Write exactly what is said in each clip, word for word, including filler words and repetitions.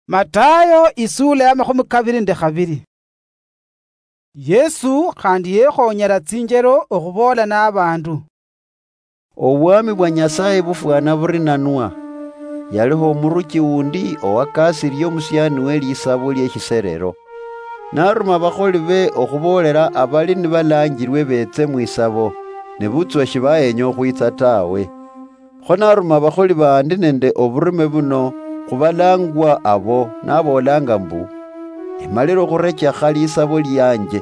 Matayo, isula ya makhumi kaviri nende khaviri. Yesu khandi yekhonyera tsinjero okhuvoola na vandu. Obwami bwa Nyasaye bufwana buri nanwa. Yaliho omuruchi wundi owakasirie omusiani we lisabo lieshiserero. Naruma abakholi be okhuboolela abali nibalanjirwe beetse mwisabo, nebutswa shibahenya okhwitsa tawe. Kho naruma abakholi bandi nende oburume buno khubalangwa abo, naboolanga mbu, "Emalire okhurechekha lisabo lianje.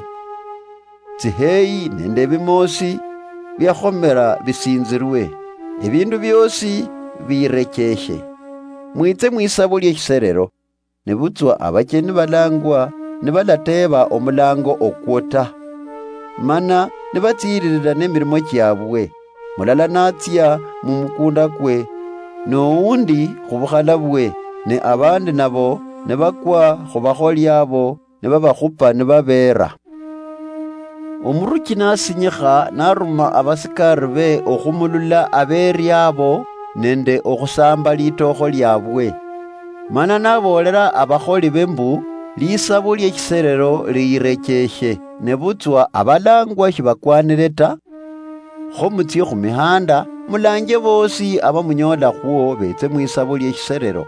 Tsiheyi nende ebimoosi biakhomera bisinzirwe, ebindu biosi birecheshe. Mwitse mwisabo lieshiserero." Nebutswa abacheni balangwa nibalateeba omulango okwo ta, mana nibatsiiririra nemirimo chiabwe, mulala natsia mumukunda kwe, nowundi khubukhala bwe, ne abandi nabo nibakwa khubakholi abo, nibabakhupa nibabeera. Omuruchi nasinyikha, naruma abasikari be okhumulula abeeri abo nende okhusamba litookho liabwe. Mana naboolera abakholi be mbu, "Lisabo lieshiserero liyirecheshe, nebutswa abalangwa shibakwanire ta. Kho mutsie khumihanda, mulanje boosi abamunyoolakhwo beetse mwisabo lieshiserero."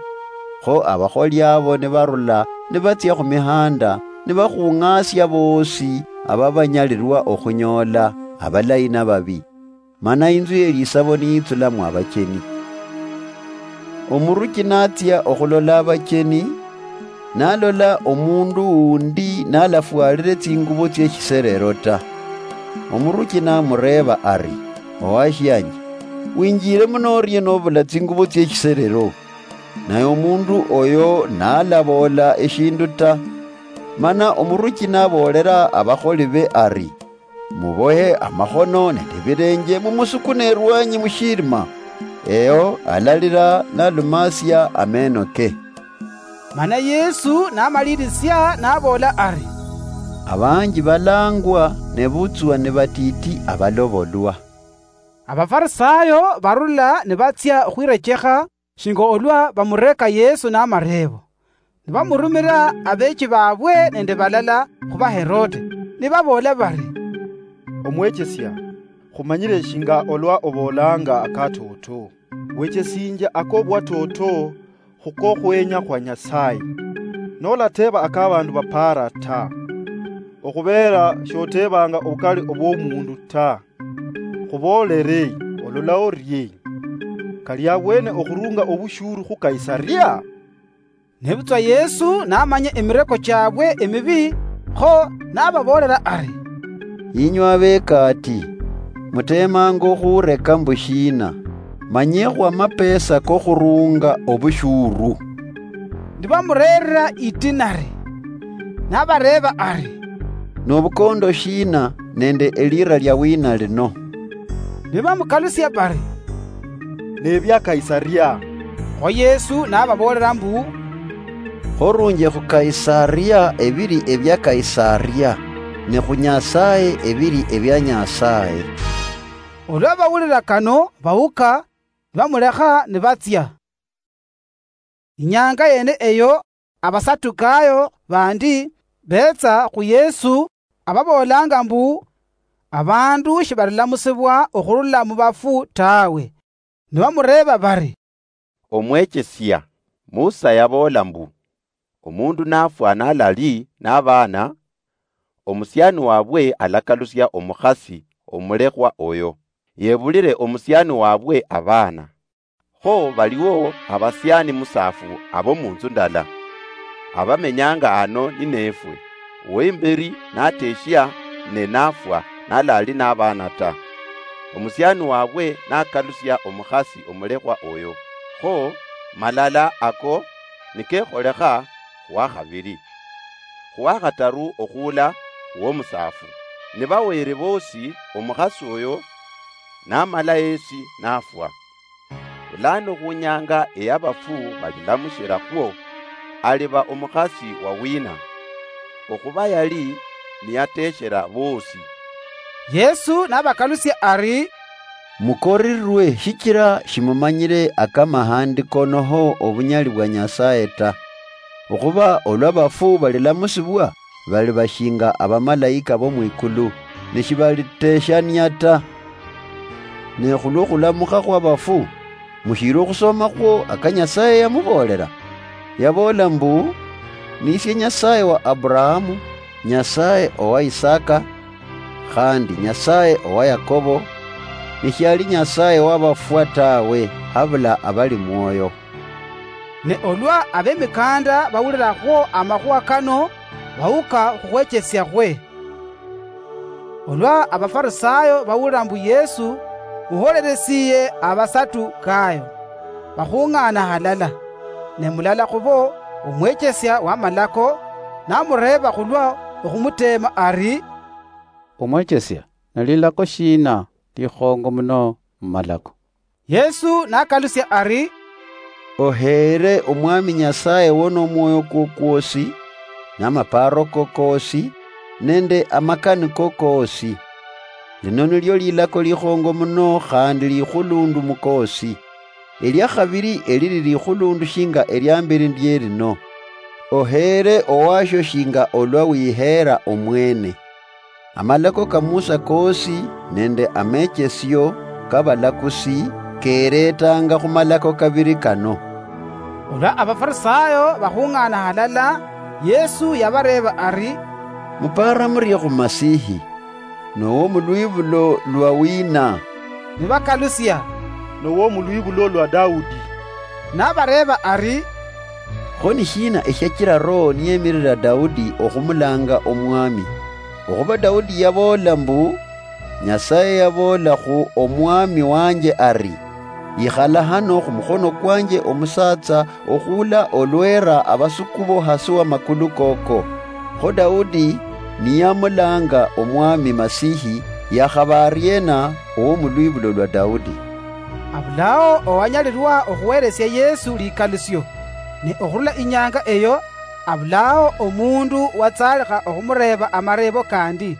Kho abakholi abo nibarula, nibatsia khumihanda, nibakhung'asia boosi ababanyalirwa okhunyoola, abalayi nababi. Mana inzu ye lisabo niyitsulamwo abacheni. Omuruchi natsia okhulola abacheni, nalola omundu wundi nalafwalire tsingubo tsieshiserero ta. Omuruchi namureeba ari, "Owashianje, winjire muno orie nobula tsingubo tsieshiserero?" Naye omundu oyo nalaboola eshindu ta. Mana omuruchi naboolera abakholi be ari, "Mubohe amakhono nende ebilenje, mumusukune erwanyi mushirima." Eyo alalira nalumasia ameno ke. Mana Yesu namalirisia naboola ari, "Abanji balangwa, nebutswa nibatiti abalobolwa." Abafarisayo barula nibatsia okhwirechekha shinga olwa bamureka Yesu namareebo. Nibamurumira abeechi babwe nende balala khuba Herode, nibaboola bari, "Omwechesia, khumanyire shinga olwa oboolanga akatoto. Wechesinjia akobwatoto khukokhwenya khwa Nyasaye. Nolateeba akabandu bapaara ta, okhubeera shoteebanga obukali obwomundu ta. Khuboolere, olola orie? Kali abwene okhurunga obushuru khu Kaisaria?" Nebutswa Yesu namanya emireko chiabwe emibi, kho nababoolera ari, "Inywe abekaati, muteemanga okhureka mbu shiina? Manyekhwo amapesa kokhurunga obushuru." Nibamureerera idinari, nabareeba ari, "Nobukondo shiina nende elira lia wina lino?" Nibamukalusia bari, "Nebia Kaisaria." Kho Yesu nababoolera mbu, "Khorunje khu Kaisaria ebiri ebia Kaisaria, ne khu Nyasaye ebiri ebia Nyasaye." Olwa bawulira kano, bawuka, nibamulekha nibatsia. Inyanga yene eyo, Abasadukayo bandi betsa khu Yesu, ababoolanga mbu, abandu shibalamusibwa okhurula mu bafu tawe. Nibamureeba bari, "Omwechesia, Musa yaboola mbu, omundu nafwa nalali nabaana, omusiani wabwe alakalusia omukhasi omulekhwa oyo, yebulire omusiani wabwe abaana. Kho baliwo abasiani musaafu abo munzu ndala, abamenyanga ano ninefwe, uweimberi nateshia ne nafwa nalali nabaana ta. Omusiani wabwe nakalusia omukhasi omulekhwa oyo, kho malala ako nikekholekha khwakhabili, khwakhataru okhuula khuwomusaafu. Nibawere bosi omukhasi oyo namala yesi nafwa. Bulano khunyanga eyabafu balilamushirakhwo, aliba omukhasi wawina, okhuba yali niyateshera bosi?" Yesu nabakalusia ari, "Mukorirwe shichira shimumanyire akamahandiko noho obunyali bwa Nyasaye ta. Okhuba olwa bafu balilamusibwa, baliba shinga abamalaika bo mwikulu, ne shibaliteeshania ta. Ne khulwo khulamukha khwa bafu, mushiili okhusomakhwo aka Nyasaye yamuboolela? Yaboola mbu, 'Nisie Nyasaye wa Aburahamu, Nyasaye owa Isaka, khandi Nyasaye owa Yakobo, ne shiali Nyasaye wa bafwa tawe, habula abali mwoyo.' Ne olwa abemikanda bawulilakhwo amakhuwa kano, bawuka khukhwechesiakhwe. Olwa Abafarisayo bawulila mbu Yesu muholelesiye Abasadukayo, bakhung'aana halala, ne mulala khubo, omwechesia w'amalako, namureeba khulwa okhumuteema ari, "Omwechesia, ne lilako shiina likhongo muno mumalako?" Yesu nakalusia ari, "Oheere Omwami Nyasaye wo nomwoyo kwo kwosi, namapaaro ko koosi, nende amakani ko koosi. Lino nilio lilako likhongo muno khandi likhulundu mukoosi. Elia khabili elili likhulundu shinga elia mbeli ndie lino, 'Oheere owashio shinga olwa wiheera omwene.' Amalako ka Musa koosi nende amechesio ka balakusi kereetanga khumalako kabili kano." Olwa Abafarisayo bakhung'aana halala, Yesu yabareeba ari, "Mupaara murie khu Masihi? Nowo mulwibulo lwa wiina?" Nibakalusia, "Nowo mulwibulo lwa Daudi." Nabareeba ari, "Kho ni shiina eshiachila Roho niyemirira Daudi okhumulanga Omwami? Okhuba Daudi yaboola mbu, 'Nyasaye yaboola khu Omwami wanje ari, ikhala hano khumukhono kwanje omusatsa okhula olwera abasukubo hasi wa makulu koko.' Kho Daudi niyamulanga Omwami Masihi, yakhaba ariena owomulwibulo lwa Daudi?" Abulao owanyalirwa okhuweresia Yesu likalusio, ne okhurula inyanga eyo, abulao omundu watsalikha okhumureeba amareebo kandi.